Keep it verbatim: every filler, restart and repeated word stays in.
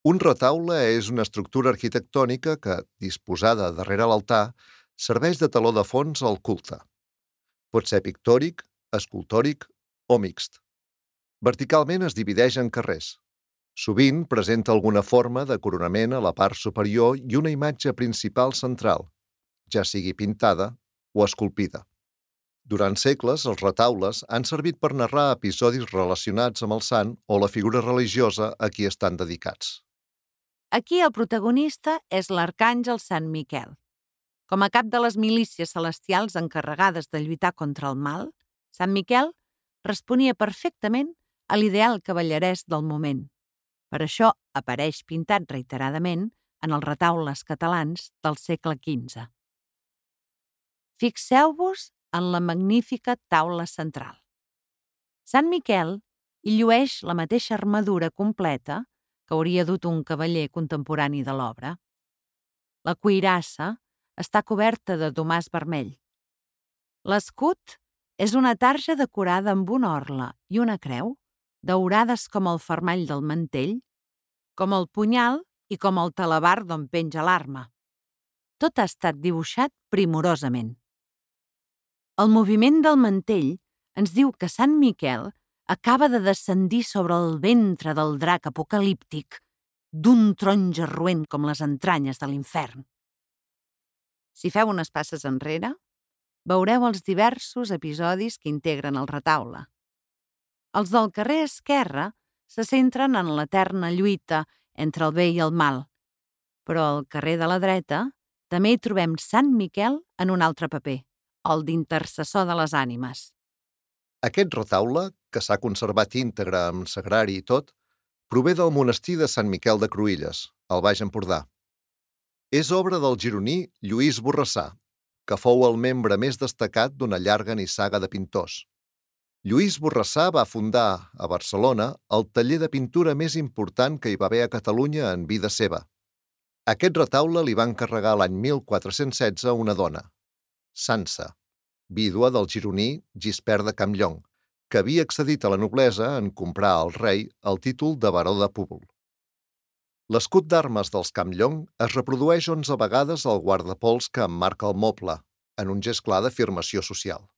Un retaule és una estructura arquitectònica que, disposada darrere l'altar, serveix de teló de fons al culte. Pot ser pictòric, escultòric o mixt. Verticalment es divideix en carrers. Sovint presenta alguna forma de coronament a la part superior i una imatge principal central, ja sigui pintada o esculpida. Durant segles, els retaules han servit per narrar episodis relacionats amb el sant o la figura religiosa a qui estan dedicats. Aquí el protagonista és l'arcàngel Sant Miquel. Com a cap de les milícies celestials encarregades de lluitar contra el mal, Sant Miquel responia perfectament a l'ideal cavallerès del moment. Per això apareix pintat reiteradament en els retaules catalans del segle quinze. Fixeu-vos en la magnífica taula central. Sant Miquel hi llueix la mateixa armadura completa que hauria dut un cavaller contemporani de l'obra. La cuirassa està coberta de domàs vermell. L'escut és una tarja decorada amb una orla i una creu, daurades com el fermall del mantell, com el punyal i com el talabard d'on penja l'arma. Tot ha estat dibuixat primorosament. El moviment del mantell ens diu que Sant Miquel acaba de descendir sobre el ventre del drac apocalíptic d'un taronja roent com les entranyes de l'infern. Si feu unes passes enrere, veureu els diversos episodis que integren el retaule. Els del carrer esquerre se centren en l'eterna lluita entre el bé i el mal, però al carrer de la dreta també hi trobem Sant Miquel en un altre paper, el d'intercessor de les ànimes. Aquest retaule, que s'ha conservat íntegre amb sagrari i tot, prové del monestir de Sant Miquel de Cruïlles, al Baix Empordà. És obra del gironí Lluís Borrassà, que fou el membre més destacat d'una llarga nissaga de pintors. Lluís Borrassà va fundar, a Barcelona, el taller de pintura més important que hi va haver a Catalunya en vida seva. Aquest retaule li va encarregar l'any mil quatre-cents setze una dona, Sança, vídua del gironí Gispert de Campllong, que havia accedit a la noblesa en comprar al rei el títol de baró de Púbol. L'escut d'armes dels Campllong es reprodueix onze vegades al guardapols que emmarca el moble, en un gest clar d'afirmació social.